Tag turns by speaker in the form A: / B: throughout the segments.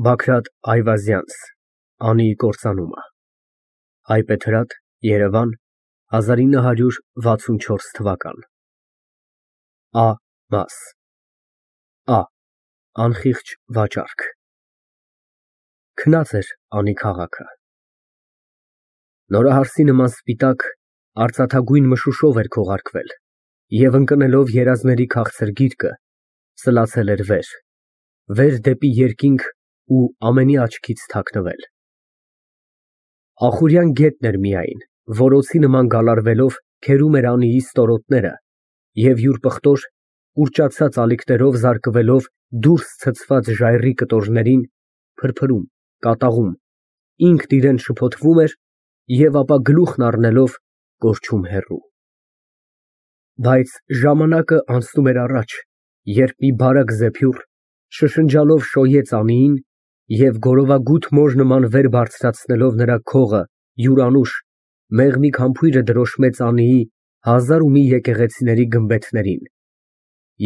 A: Բագրատ Այվազյանց Անիի կործանումը Հայբեթրատ, Երևան 1964 Ա. Մաս Ա. Անխիղճ վաճառք Քնած էր Անի քաղաքը։ Նորահարսի նման սպիտակ, արծաթագույն մշուշով էր քողարկվել և ընկնելով երազների քաղցր գիրկը, սլացել էր վեր դեպի երկինք ու ամենի աչքից թաքնվել։ Ախուրյան գետն էր միայն, որ օձի նման գալարվելով քերում էր Անիի ստորոտները և յուր պղտոր, կուրճացած ալիքներով զարկվելով դուրս ցցված ժայռի կտորներին, փրփրում, կատաղում, ինքն իրան շփոթվում էր և ապա գլուխն առնելով կորչում հեռու։ Բայց ժամանակը անցնում էր առաջ, երբ մի բարակ զեփյուռ շշնջալով շոյեց Անիին և գորովագութ մոր նման վեր բարձրացնելով նրա քողը յուրանուշ, մեղմիկ համբույրը դրոշմեց Անիի հազար ու մի եկեղեցիների գմբեթներին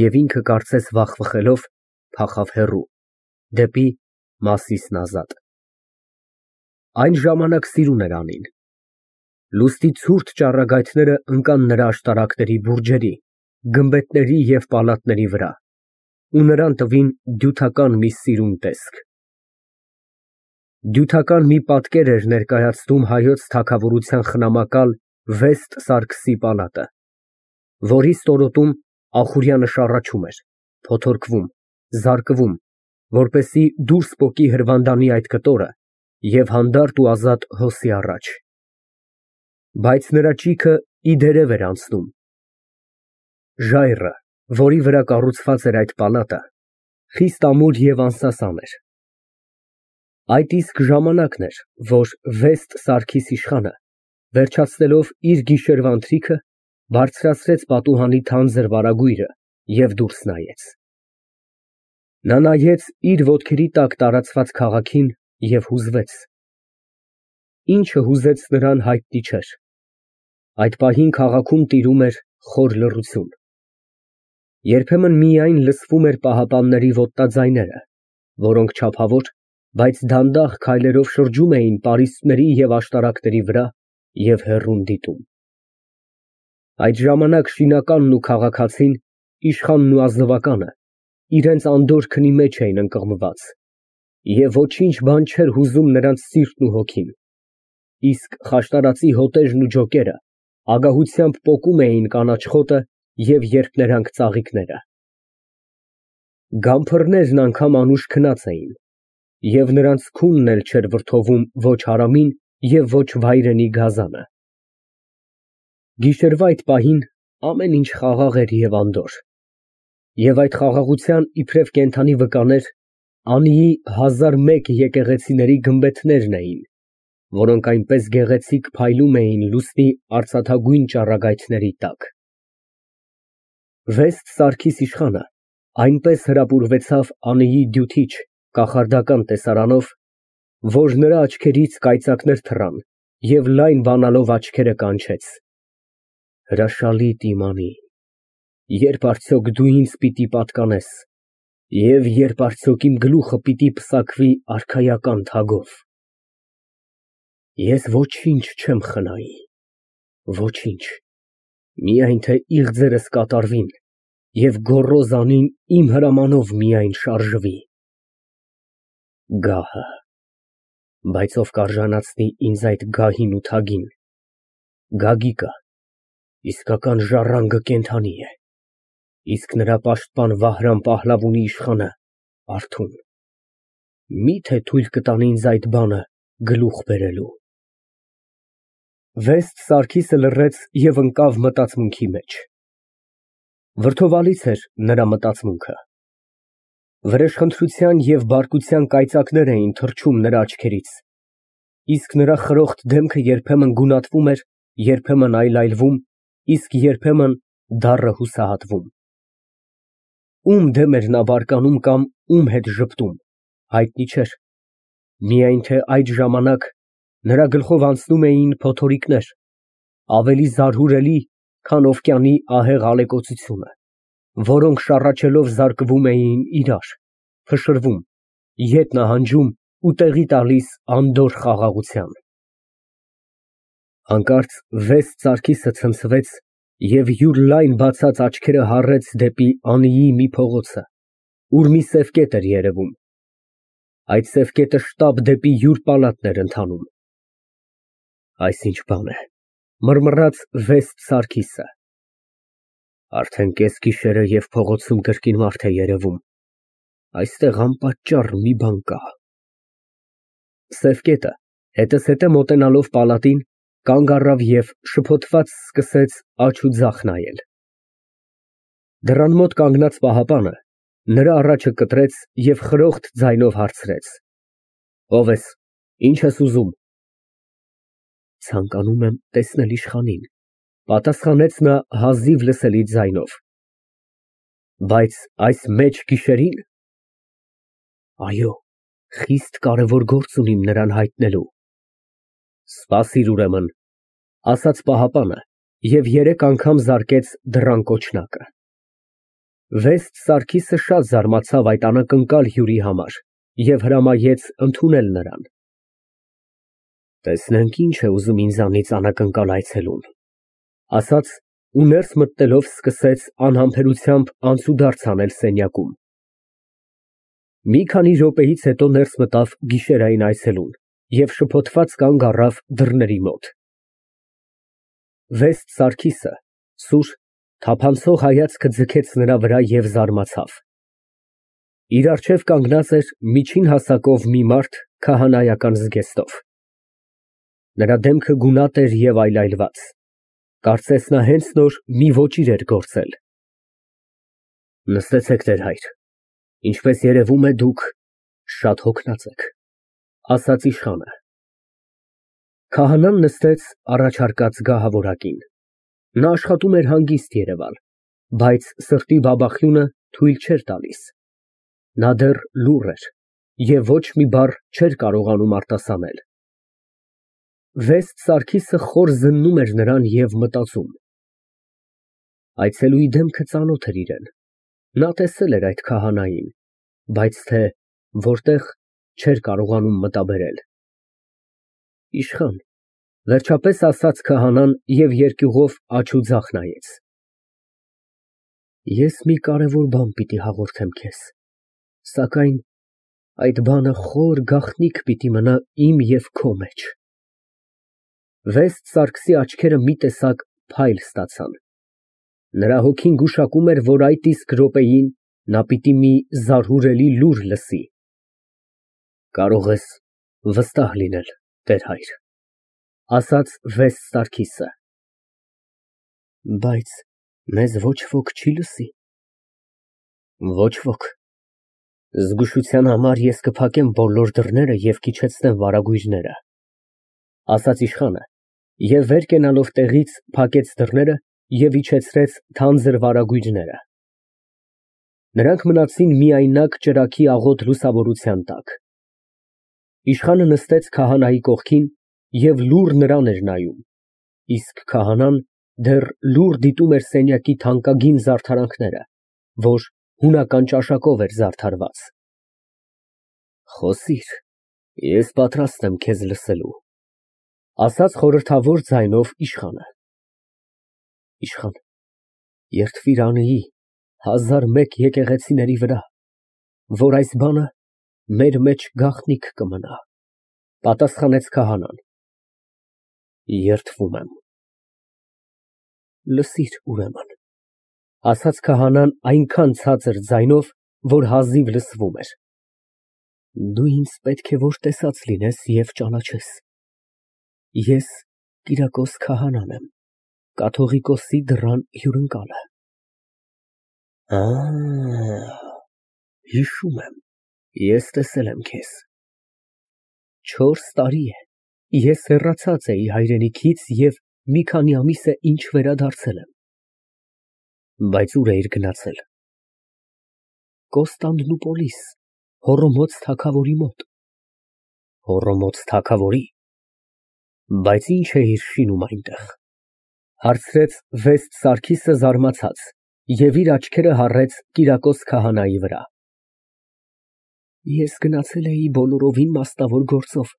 A: և ինքը կարծես վախվխելով փախավ հեռու, դեպի Մասիսն Ազատ։ Այն ժամանակ սիրուն էր Անին։ Լուստի ցուրտ ճառագայթները ընկան նրա աշտարակների բուրջերի, գմբեթների և պալատների վրա ու նրան տվին դյութական մի սիրուն տեսք։ Դյութական մի պատկեր էր ներկայացնում հայոց թագավորության խնամակալ Վեստ Սարգսի պալատը, որի ստորոտում Ախուրյանը շառաչում էր, փոթորկվում, զարկվում, որպեսզի դուրս պոկի հրվանդանի այդ կտորը և հանդարտ ու ազատ հոսի առաջ։ Բայց նրա ճիգը ի դերև էր անցնում։ Ժայռը, որի վրա կառուցված էր այդ պալատը, խիստ ամուր և անսասան էր։ Այդ իսկ ժամանակն էր, որ Վեստ Սարգիս իշխանը, վերջացնելով իր գիշերվա ընթրիքը, բարձրացրեց պատուհանի թանձր վարագույրը և դուրս նայեց։ Նա նայեց իր ոտքերի տակ տարածված քաղաքին և հուզվեց։ Ինչը հուզեց նրան հայտնի չէր։ Այդ պահին քաղաքում տիրում էր խոր լռություն։ Երբեմն միայն լսվում էր պահապանների ոտնաձայները, որոնք չափավոր, բայց դանդաղ քայլերով շրջում էին պարիսպների և աշտարակների վրա և հեռուն դիտում։ Այդ ժամանակ շինականն ու քաղաքացին, իշխանն ու ազնվականը իրենց անդորր քնի մեջ էին ընկղմված, և ոչինչ բան չէր հուզում նրանց սիրտն ու հոգին, իսկ խաշտարածի հոտերն ու ջոկերը ագահությամբ պոկում էին կանաչ խոտը և երփներանգ ծաղիկները։ Գամփռներն անգամ անուշ քնած էին, և նրանց քունն էլ չէր վրդովում ոչ հարամին և ոչ վայրենի գազանը։ Գիշերվա այդ պահին ամեն ինչ խաղաղ էր և անդորր, և այդ խաղաղության իբրև կենդանի վկաներ Անիի 1001 եկեղեցիների գմբեթներն էին, որոնք այնպես գեղեցիկ փայլում էին լուսնի արծաթագույն ճառագայթների տակ։ Վեստ Սարգիս իշխանը այնպես հրապուրվեցավ Անիի դյութիչ, կախարդական տեսարանով, որ նրա աչքերից կայծակներ թռան և լայն բանալով աչքերը կանչեց. «Հրաշալիք իմ Անի, երբ արդյոք դու ինձ պիտի պատկանես և երբ արդյոք իմ գլուխը պիտի պսակվի արքայական թագով։ Ես ոչինչ չեմ խնայի, ոչինչ, միայն թե իղձերս կատարվին և գոռոզ Անին իմ հրամանով միայն շարժվի։ Գահը, բայց ով կարժանացնի ինձ այդ գահին ու թագին։ Գագիկը իսկական ժառանգը կենդանի է, իսկ նրա պաշտպան Վահրամ Պահլավունի իշխանը արթուն։ Մի՞թե թույլ կտան ինձ այդ բանը գլուխ բերելու»։ Վեստ Սարգիսը լռեց և ընկավ մտածմունքի մեջ։ Վրդովալից էր նրա մտածմունքը։ Վրեժխնդրության և բարկության կայծակներ էին թռչում նրա աչքերից, իսկ նրա խրոխտ դեմքը երբեմն գունատվում էր, երբեմն այլայլվում, իսկ երբեմն դառը հուսահատվում։ Ում դեմ էր նա բարկանում կամ ում հետ ժպտում, հայտնի չէր, միայն թե այդ ժամանակ նրա գլխով անցնում էին փոթորիկներ, ավելի զարհուրելի, քան օվկիանի ահեղ ալեկոծությունը, որոնք շառաչելով զարկվում էին իրար, փշրվում, ետ նահանջում ու տեղի տալիս անդորր խաղաղության։ Հանկարծ վեստ Սարգիսը ցնցվեց և յուր լայն բացած աչքերը հառեց դեպի անիի մի փողոցը, ուր մի սև կետ էր երևում։ Այդ սև կետը շտապ դեպի յուր պալատն էր ընթանում։ Այս ինչ բան է, մռմռաց վեստ Սարգիսը։ Արդեն կեսգիշեր է և փողոցում կրկին մարդ է երևում։ Այստեղ անպատճառ մի բան կա։ Սև կետը հետզհետե մոտենալով պալատին, կանգ առավ և շփոթված սկսեց աջ ու ձախ նայել։ Դռան մոտ կանգնած պահապանը նրա առաջը կտրեց և խրոխտ ձայնով հարցրեց. Ո՞վ ես, ինչ ես ուզում։ Ցանկանում եմ տեսնել իշխանին, պատասխանեց նա հազիվ լսելի ձայնով։ Բայց այս մեծ գիշերին։ Այո, խիստ կարևոր գործ ունիմ նրան հայտնելու։ Սպասիր ուրեմն, ասաց պահապանը և 3 անգամ զարկեց դռան կոչնակը։ Վեստ Սարգիսը շատ զարմացավ այդ անակնկալ հյուրի համար և հրամայեց ընդունել նրան։ Տեսնենք ինչ է ուզում ինձանից անակնկալ այցելուն, ասաց ու ներս մտնելով սկսեց անհամբերությամբ անցուդարձ անել սենյակում։ Մի քանի րոպեից հետո ներս մտավ գիշերային այցելուն և շփոթված կանգ առավ դռների մոտ։ Վեստ Սարգիսը սուր, թափանցող հայացքը ձգեց նրա վրա և զարմացավ։ Իր առջև կանգնած էր միջին հասակով մի մարդ քահանայական զգեստով։ Նրա դեմքը գունատ էր և այլայլված, կարծես նա հենց նոր մի ոճիր էր գործել։ Նստեցեք, տեր հայր, ինչպես երևում է, դուք շատ հոգնած եք, ասաց իշխանը։ Քահանան նստեց առաջարկած գահավորակին։ Նա աշխատում էր հանգիստ երևալ, բայց սրտի բաբախյունը թույլ չէր տալիս։ Նա դեռ լուռ էր և ոչ մի բառ չէր կարողանում արտասանել։ Վեստ Սարգիսը խոր զննում էր նրան և մտածում։ Այցելուի դեմքը ծանոթ էր իրան։ Նա տեսել էր այդ քահանային, բայց թե որտեղ, չէր կարողանում մտաբերել։ Իշխան, վերջապես ասաց քահանան և երկյուղով աջ ու ձախ նայեց։ Ես մի կարևոր բան պիտի հաղորդեմ քեզ, սակայն այդ բանը խոր գաղտնիք պիտի մնա իմ և քո մեջ։ Վեստ Սարգսի աչքերը մի տեսակ փայլ ստացան։ Նրա հոգին գուշակում էր, որ այդ իսկ րոպեին նա պիտի մի զարհուրելի լուր լսի։ Կարող ես վստահ լինել, տեր հայր, ասաց վեստ Սարգիսը։ Բայց մեզ ոչ ոք չի լսի։ Ոչ ոք։ Զգուշության համար ես կփակեմ բոլոր դռները և կիջեցնեմ վարագույրները, ասաց իշխանը և վեր կենալով տեղից փակեց դռները և իջեցրեց թանձր վարագույրները։ Նրանք մնացին միայնակ ճրագի աղոտ լուսավորության տակ։ Իշխանը նստեց քահանայի կողքին և լուռ նրան էր նայում, իսկ քահանան դեռ լուռ դիտում էր սենյակի թանկագին զարդարանքները, որ հունական ճաշակով էր զարդարված։ Խոսիր, ես պատրաստ եմ քեզ լսելու, ասաց խորհրդավոր ձայնով իշխանը։ Իշխան, երդվիր Անեի 1001 եկեղեցիների վրա, որ այս բանը մեր մեջ գաղտնիք կմնա, պատասխանեց քահանան։ Երդվում եմ։ Լսիր ուրեմն, ասաց քահանան այնքան ցածր ձայնով, որ հազիվ լսվում էր։ Դու ինձ պետք է որ տեսած լինես և ճանաչես։ Ես Կիրակոս քահանան եմ, կաթողիկոսի դռան հյուրընկալը։ Հիշում եմ, ես տեսել եմ քեզ։ 4 տարի է, ես հեռացած էի հայրենիքից և մի քանի ամիս է ինչ վերադարձել եմ։ Բայց ուր էիր գնացել։ Կոստանդնուպոլիս, Հոռոմոց թագավորի մոտ։ Հոռոմոց թագավորի։ Բայց ինչ էիր շինում այնտեղ, հարցրեց վեստ Սարգիսը զարմացած և իր աչքերը հառեց Կիրակոս քահանայի վրա։ Ես գնացել էի բոլորովին մասնավոր գործով,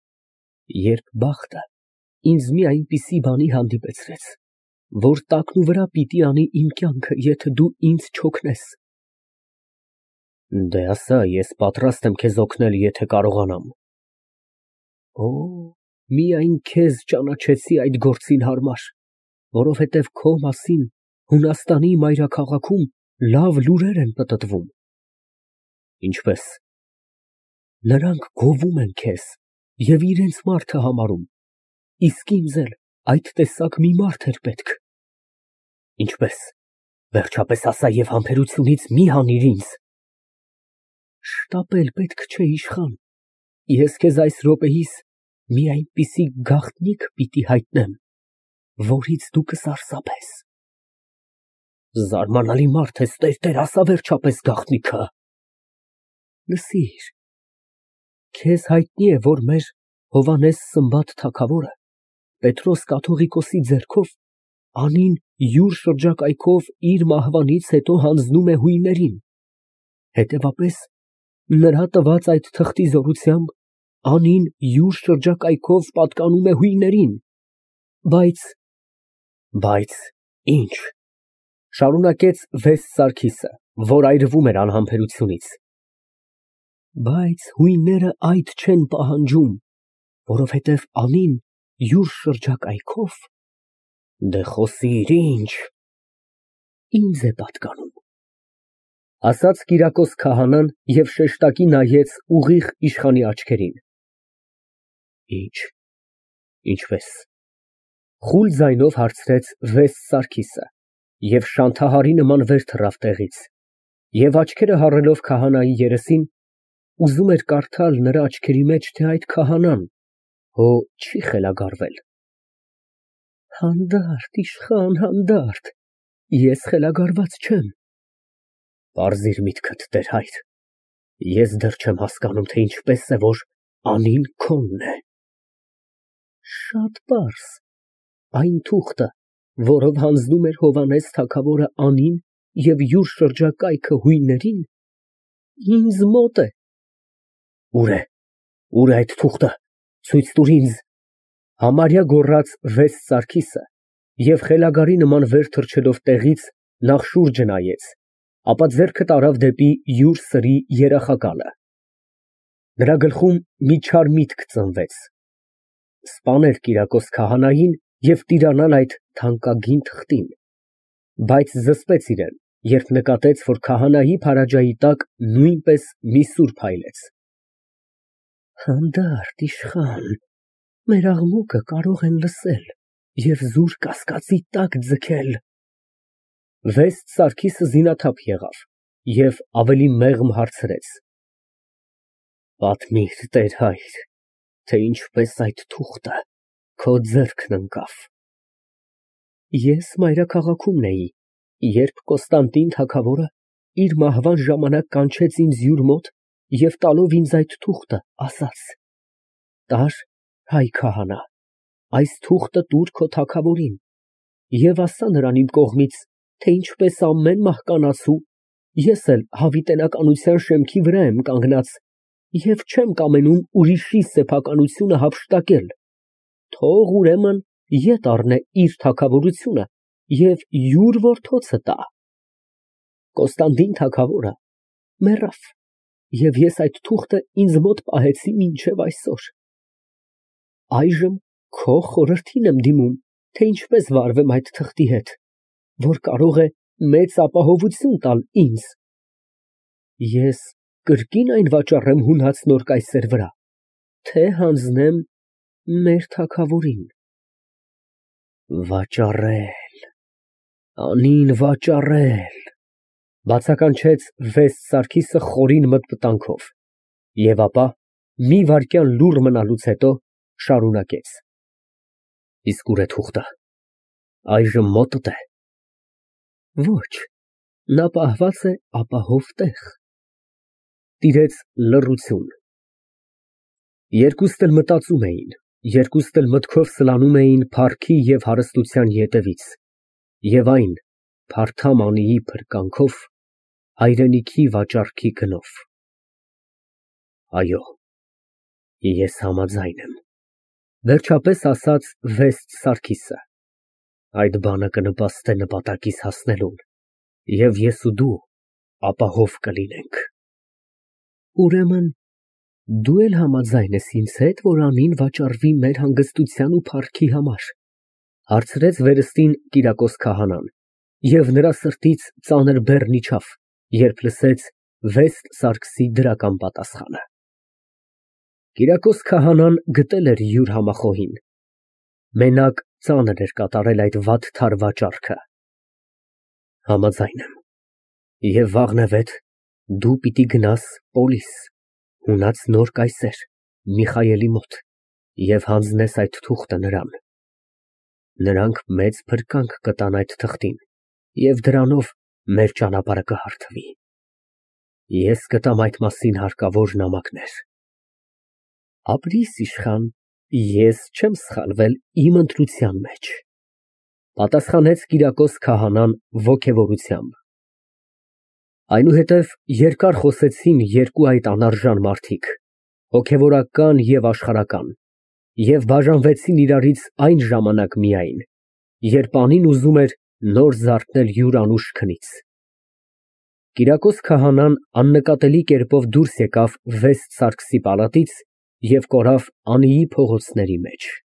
A: երբ բախտը ինձ մի այնպիսի բանի հանդիպեցրեց, որ տակնուվրա պիտի անի իմ կյանքը, եթե դու ինձ չօգնես։ Դե ասա, ես պատրաստ եմ քեզ օգնել, եթե կարողանամ։ Օ, միայն քեզ ճանաչեցի այդ գործին հարմար, որովհետև քո մասին Հունաստանի մայրաքաղաքում լավ լուրեր են պտտվում։ Ինչպես։ Նրանք գովում են քեզ և իրենց մարդը համարում, իսկ ինձ էլ այդ տեսակ մի մարդ էր պետք։ Ինչպես, վերջապես ասա և համբերությունից մի հանիր ինձ։ Շտապել պետք չէ, իշխան, ես քեզ այս րոպեիս մի այնպիսի գաղտնիք պիտի հայտնեմ, որից դու կսարսափես։ Զարմանալի մարդ ես, տեր, ասա վերջապես գաղտնիքը։ Լսիր, քեզ հայտնի է, որ մեր Հովհաննես Սմբատ թագավորը Պետրոս կաթողիկոսի ձեռքով անին յուր շրջակայքով իր մահվանից հետո հանձնում է հույներին, հետևապես նրա տված այդ թղթի զորությամբ անին յուր շրջակայքով պատկանում է հույներին, բայց ինչ, շարունակեց Վեստ Սարգիսը, որ այրվում էր անհամբերությունից, բայց հույները այդ չեն պահանջում, որովհետև անին յուր շրջակայքով, դե խոսիր ինչ, ինձ է պատկանում, ասաց Կիրակոս քահանան և շեշտակի նայեց ուղիղ իշխանի աչքերին։ Ինչ, ինչպես, խուլ ձայնով հարցրեց Վեստ Սարգիսը և շանթահարի նման վեր թռավ տեղից և աչքերը հառելով քահանայի երեսին, ուզում էր կարդալ նրա աչքերի մեջ, թե այդ քահանան հո չի խելագարվել։ Հանդարտ, իշխան, հանդարտ, ես խելագարված չեմ։ Պարզիր միտքդ, տեր հայր, ես դեռ չեմ հասկանում, թե ինչպես է, որ անին քոնն է։ Շատ պարզ, այն թուղթը, որով հանձնում էր Հովհաննես թագավորը անին և յուր շրջակայքը հույներին, ինձ մոտ է։ Ուր է այդ թուղթը, ցույց տուր ինձ, համարյա գոռաց Վեստ Սարգիսը և խելագարի նման վեր թռչելով տեղից նախ շուրջը նայեց, ապա ձեռքը տարավ դեպի յուր սրի երախակալը։ Նրա գլխում մի չար միտք ծնվեց. սպանել Կիրակոս քահանային և տիրանալ այդ թանկագին թղթին, բայց զսպեց իրեն, երբ նկատեց, որ քահանայի քարայրի տակ նույնպես մի սուր փայլեց։ Հանդարտ, իշխան, մեր աղմուկը կարող են լսել և զուր կասկածի տակ ձգել։ Վեստ Սարգիսը զինաթափ եղավ և ավելի մեղմ հարցրեց. Պատմիր, տեր հայր, թե ինչպես այդ թուղթը քո ձեռքն ընկավ։ Ես մայրաքաղաքումն էի, երբ Կոստանդին թագավորը իր մահվան ժամանակ կանչեց ինձ յուր մոտ և տալով ինձ այդ թուղթը, ասաց. «Տար, հայ քահանա, այս թուղթը տուր քո թագավորին և ասա նրան իմ կողմից, թե ինչպես ամեն մահկանացու, ես էլ հավիտենականության շեմքի վրա եմ կանգնած և չեմ կամենում ուրիշի սեփականությունը հափշտակել, թող ուրեմն ետ առնե իր թագավորությունը և յուր որդոցը տա»։ Կոստանդին թագավորը մեռավ, և ես այդ թուղթը ինձ մոտ պահեցի մինչև այսօր։ Այժմ քո խորհրդին եմ դիմում, թե ինչպես վարվեմ այդ թղթի հետ, որ կարող է մեծ ապահովություն տալ ինձ։ Ես կրկին այն վաճառեմ հունած նոր կայսեր վրա, թե հանձնեմ մեր թագավորին։ Վաճառել, անին վաճառել, բացականչեց Վեստ Սարգիսը խորին մտմտանքով և ապա մի վայրկյան լուռ մնալուց հետո շարունակեց. Իսկ ուր է թուղթը, այժմ մոտդ է։ Ոչ, նա պահված է ապահով տեղ։ Տիրեց լռություն։ Երկուստ էլ մտածում էին, երկուստ էլ մտքով սլանում էին փառքի և հարստության ետևից, և այն փարթամ անիի փրկանքով, հայրենիքի վաճառքի գնով։ Այո, ես համաձայն եմ, վերջապես ասաց Վեստ Սարգիսը, այդ բանը կնպաստե նպատակիս հասնելուն, և ես ու դու ապահով կլինենք։ Ուրեմն դու էլ համաձայն ես ինձ հետ, որ անին վաճառվի մեր հանգստության ու փառքի համար, հարցրեց վերստին Կիրակոս քահանան, և նրա սրտից ծանր բեռն իջավ, երբ լսեց Վեստ Սարգսի դրական պատասխանը։ Կիրակոս քահանան գտել էր յուր համախոհին, մենակ ծանր էր կատարել այդ վատթար վաճառքը։ Համաձայն եմ, և վաղնևեթ դու պիտի գնաս պոլիս, ունած նոր կայսեր Միխայելի մոտ և հանձնես այդ թուղթը նրան։ Նրանք մեծ փրկանք կտան այդ թղթին, և դրանով մեր ճանապարհը կհարթվի։ Ես կտամ այդ մասին հարկավոր նամակներ։ Ապրիս իշխան, ես չեմ սխալվել իմ ընտրության մեջ, պատասխանեց Կիրակոս քահանան ոգևորությամբ։ Այնուհետև երկար խոսեցին երկու այդ անարժան մարդիկ, հոգևորական և աշխարհական, և բաժանվեցին իրարից այն ժամանակ միայն, երբ անին ուզում էր նոր զարթնել յուր անուշ քնից։ Կիրակոս քահանան աննկատելի կերպով դուրս եկավ Վեստ Սարգսի պալատից և կորավ Անիի փողոցների մեջ։